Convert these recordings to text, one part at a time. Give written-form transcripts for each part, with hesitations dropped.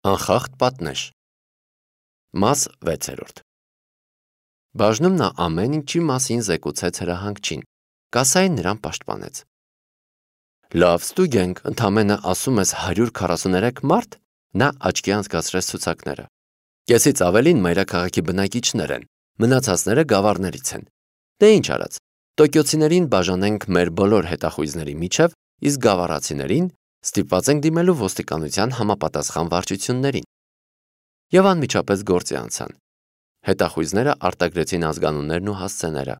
Անխախտ պատնեշ։ Մաս 6. Բաժնում նա ամեն ինչի մասին զեկուցեց հրահանգչին, կասային նրան պաշտպանեց։ Լավ, ստուգենք, ընդամենը ասում ես 143 մարդ, նա աչքի անցկացրեց ցուցակները։ Կեսից ավելին մայրաքաղաքի բնակիչներ են, մնացածները գավառներից են։ Դե ինչ արած, տոկիոցիներին բաժանենք մեր բոլոր հետախույզների միջև, իսկ գավառացիներին ստիպված ենք դիմելու ոստիկանության համապատասխան վարչություններին։ Եվ անմիջապես գործի անցան։ Հետախույզները արտագրեցին ազգանուններն ու հասցեները։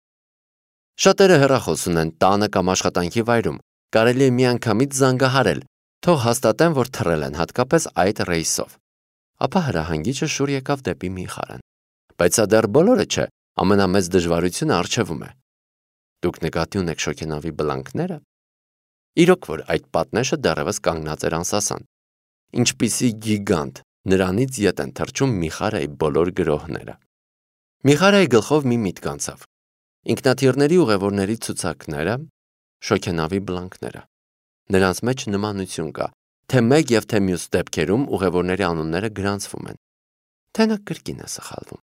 Շատերը հեռախոս ունեն տանը կամ աշխատանքի վայրում, կարելի է միանգամից զանգահարել, թող հաստատեն, որ թռել են հատկապես այդ ռեյսով։ Ապա հրահանգիչը շուռ եկավ դեպի Միխարան։ Բայց սա դեռ բոլորը չէ, ամենամեծ դժվարությունը առջևում է։ Դուք նկատի ունեք շոգենավի բլանքները։ Իրոք որ այդ պատնեշը դեռևս կանգնած էր անսասան։ Ինչպիսի գիգանտ, նրանից ետ են թռչում Միխարայի բոլոր գրոհները։ Միխարայի գլխով մի միտք անցավ։ Ինքնաթիռների ուղևորների ցուցակները, շոգենավի բլանքները։ Նրանց մեջ նմանություն կա, թե մեկ եւ թե մյուս դեպքերում ուղևորների անունները գրանցվում են։ Թե նա կրկին է սխալվում։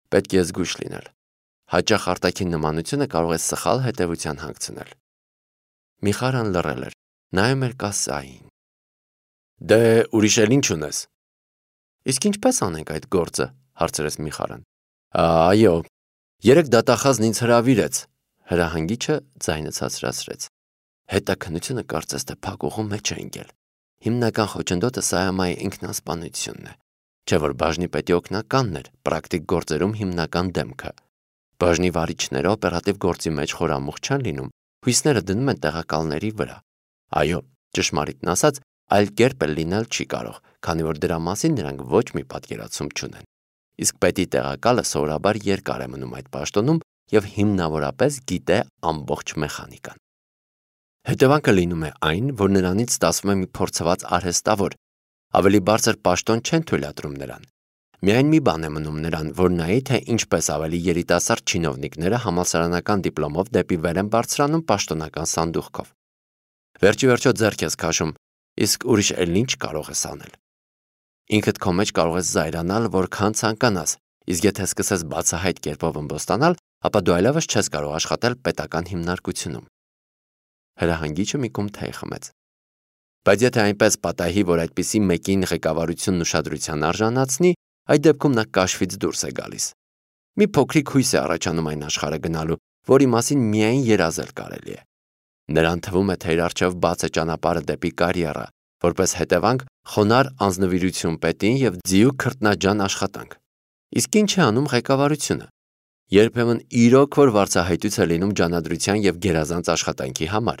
Պետք է զգույշ լինել։ Հաճախ արտաքին նմանությունը կարող է սխալ հետևության հանգցնել։ Միխարան լռել էր, նայում էր կասային։ Դե ուրիշ էլ ինչ ունես։ Իսկ ինչպես անենք այդ գործը, հարցրեց Միխարան։ Այո, երեք դատախազն ինձ հրավիրեց, հրահանգիչը ձայնը ցածրացրեց։ Հետաքննությունը կարծես թե փակուղու մեջ է ընկել։ Հիմնական խոչընդոտը Սայամայի ինքնասպանությունն է, չէ որ բաժնի պետի օգնականն էր, պրակտիկ գործերում հիմնական դեմքը։ Բաժնի վարիչները օպերատիվ գործի մեջ խորամուխ չեն լինում, հույսները դնում են տեղակալների վրա։ Այո, ճշմարիտն ասած, այլ կերպ էլ լինել չի կարող, քանի որ դրա մասին նրանք ոչ մի պատկերացում չունեն։ Իսկ պետի տեղակալը սովորաբար երկար է մնում այդ պաշտոնում եւ հիմնավորապես գիտե ամբողջ մեխանիկան։ Հետևանքը լինում է այն, որ նրանից ստացվում է մի փորձված արհեստավոր, ավելի բարձր պաշտոն չեն թույլատրում նրան։ Միայն մի բան է մնում նրան, որ նայի, թե ինչպես ավելի երիտասարդ չինովնիկները համալսարանական դիպլոմով դեպի վեր են բարձրանում պաշտոնական սանդուղքով։ Վերջիվերջո ձեռք ես քաշում, իսկ ուրիշ էլ ինչ կարող ես անել։ Ինքդ քո մեջ կարող ես զայրանալ, որքան ցանկանաս, իսկ եթե սկսես բացահայտ կերպով ըմբոստանալ, ապա դու այլևս չես կարող աշխատել պետական հիմնարկությունում։ Հրահանգիչը մի կում թեյ խմեց։ Բայց եթե այնպես պատահի, որ այդպիսի մեկին ղեկավարությունն ուշադրության արժանացնի, այդ դեպքում նա կաշվից դուրս է գալիս։ Մի փոքրիկ հույս է առաջանում այն աշխարհը գնալու, որի մասին միայն երազել կարելի է։ Նրան թվում է, թե իր առջև բաց է ճանապարհը դեպի կարիերա, որպես հետևանք խոնար անձնվիրություն պետին եւ ձիու քրտնաջան աշխատանք։ Իսկ ինչ է անում ղեկավարությունը։ Երբեմն իրոք որ վարձահայտույց է լինում ջանադրության եւ գերազանց աշխատանքի համար։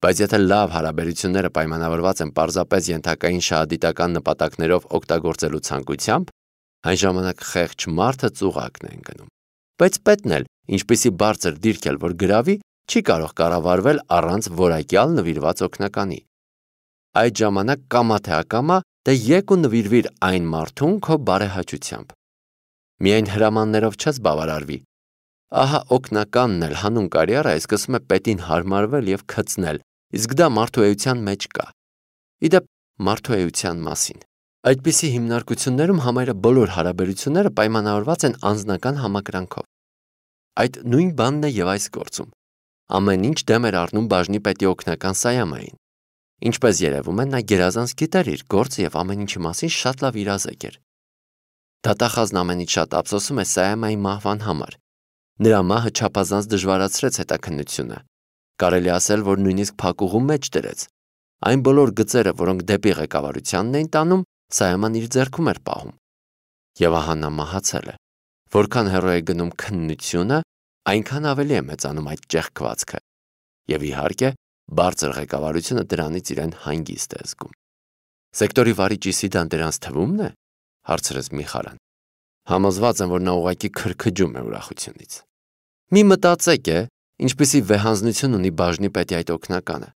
Բայց եթե լավ հարաբերությունները պայմանավորված են պարզապես ենթակային շահադիտական նպատակներով օգտագործելու ցանկությամբ, այն ժամանակ խեղճ մարդը ծուղակն է ընկնում։ Բայց պետն էլ, ինչպիսի բարձր դիրք էլ որ գրավի, չի կարող կառավարվել առանց որակյալ նվիրված օգնականի։ Այդ ժամանակ կամա թե ակամա դե եկ ու նվիրվիր այն մարդուն քո բարեհաճությամբ։ Միայն հրամաններով չես բավարարվի։ Ահա օգնականն էլ հանուն կարիերա է սկսում է պետին հարմարվել եւ քծնել, իսկ դա մարդու էության մեջ կա։ Իդեպ մարդու էության մասին։ Այդպիսի հիմնարկություններում համարյա բոլոր հարաբերությունները պայմանավորված են անձնական համակրանքով։ Այդ նույն բանն է եւ այս գործում։ Ամեն ինչ դեմ էր առնում բաժնի պետի օգնական Սայամային։ Ինչպես երևում է, նա գերազանց գիտեր իր գործը եւ ամեն ինչի մասին շատ լավ իրազեկ էր։ Դատախազն ամենից շատ ափսոսում է Սայամայի մահվան համար։ Նրա մահը չափազանց դժվարացրեց հետաքննությունը։ Կարելի ասել, որ նույնիսկ փակուղու մեջ դրեց։ Այն բոլոր գծերը, որոնք դեպի ղեկավարությանն էին տանում, Սայաման իր ձեռքում էր պահում։ Եվ ահա նա մահացել է։ Որքան հեռու է գնում քննությունը, այնքան ավելի է մեծանում այդ ճեղքվածքը։ Եվ իհարկե, բարձր ղեկավարությունը դրանից իրեն հանգիստ է զգում։ Սեկտորի վարիչ Իսիդան դրանց թվումն է, հարցրեց Միխարան։ Համոզված եմ, որ նա ուղղակի քրքջում է ուրախությունից։ Մի մտածեք է, ինչպիսի վեհանձնություն ունի բաժնի պետի այդ օգնականը։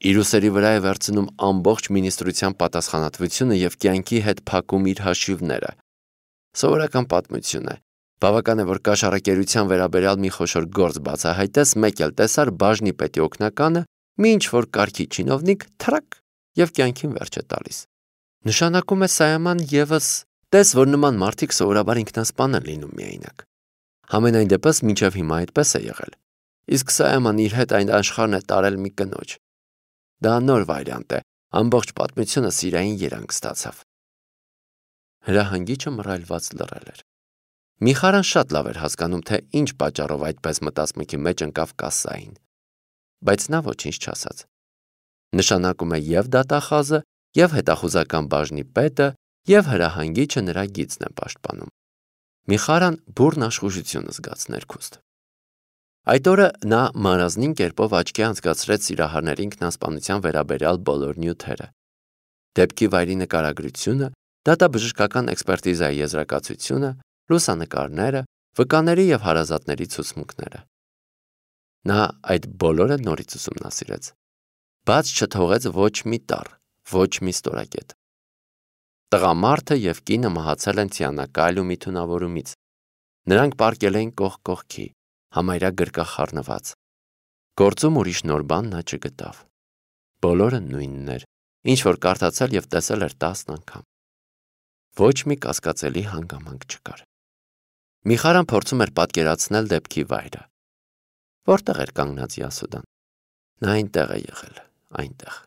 Իր ուսերի վրա է վերցնում ամբողջ մինիստրության պատասխանատվությունը եւ կյանքի հետ փակում իր հաշիվները։ Սովորական պատմություն է։ Բավական է, որ կաշառակերության վերաբերյալ մի խոշոր գործ բացահայտես, մեկ էլ տեսար բաժնի պետի օգնականը, մի ինչ որ կարգի չինովնիկ թրակ եւ կյանքին վերջ է տալիս։ Նշանակում է Սայաման ևս տես, որ նման մարդիկ սովորաբար ինքնասպան են լինում միայնակ։ Համենայն դեպս մինչև հիմա այդպես է եղել։ Իսկ Սայաման իր հետ այն աշխարհն է տարել մի կնոջ։ Դա նոր վարիանտ է, ամբողջ պատմությունը սիրային երանգ ստացավ։ Հրահանգիչը մռայլված լռել էր։ Միխարան շատ լավ էր հասկանում, թե ինչ պատճառով այդպես մտածմունքի մեջ ընկավ կասային, բայց նա ոչինչ չասաց։ Նշանակում է և դատախազը, և հետախուզական բաժնի պետը, և հրահանգիչը նրա գիծն է պաշտպանում։ Միխարան բուռն աշխուժություն զգաց ներքուստ։ Այդ օրը նա մարազնին կերպով աչքի անցկացրեց սիրահարների ինքնասպանության վերաբերյալ բոլոր նյութերը։ Դեպքի վայրի նկարագրությունը, դատաբժշկական էքսպերտիզայի եզրակացությունը, լուսանկարները, վկաների և հարազատների ցուցմունքները։ Նա այդ բոլորը նորից ուսումնասիրեց։ Բաց չթողեց ոչ մի տառ, ոչ մի ստորակետ։ Տղամարդը և կինը մահացել են ցյանակալ ու միթունավորումից։ Նրանք պառկել էին կողք կողքի, համարյա գրկախառնված։ Գործում ուրիշ նոր բան նա չգտավ։ Բոլորը նույնն էր, ինչ որ կարդացել և տեսել էր 10 անգամ։ Ոչ մի կասկածելի հանգամանք չկար։ Միխարան փորձում էր պատկերացնել դեպքի վայրը։ Որտեղ էր կանգնած Յասուդան։ Նա այնտեղ է եղել, այնտեղ։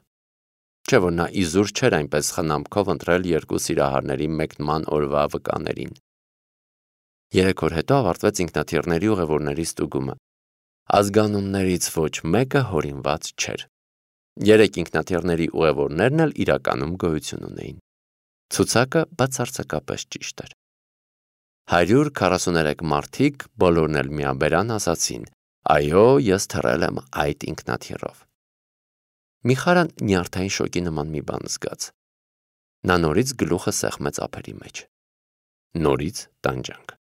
Չէ՞ որ նա իզուր չէր այնպես խնամքով ընտրել երկու սիրահարների մեկնման օրվա վկաներին։ 3 օր հետո ավարտվեց ինքնաթիռների ուղևորների ստուգումը։ Ազգանուններից ոչ մեկը հորինված չէր։ 3 ինքնաթիռների ուղևորներն էլ իրականում գոյություն ունեին։ Ցուցակը բացարձակապես ճիշտ էր։ 143 մարդիկ բոլորն էլ միաբերան ասացին. «Այո, ես թռել եմ այդ ինքնաթիռով»։ Միխարան նյարդային շոկի նման մի բան զգաց։ Նա նորից գլուխը սեղմեց ափերի մեջ։ Նորից տանջանք։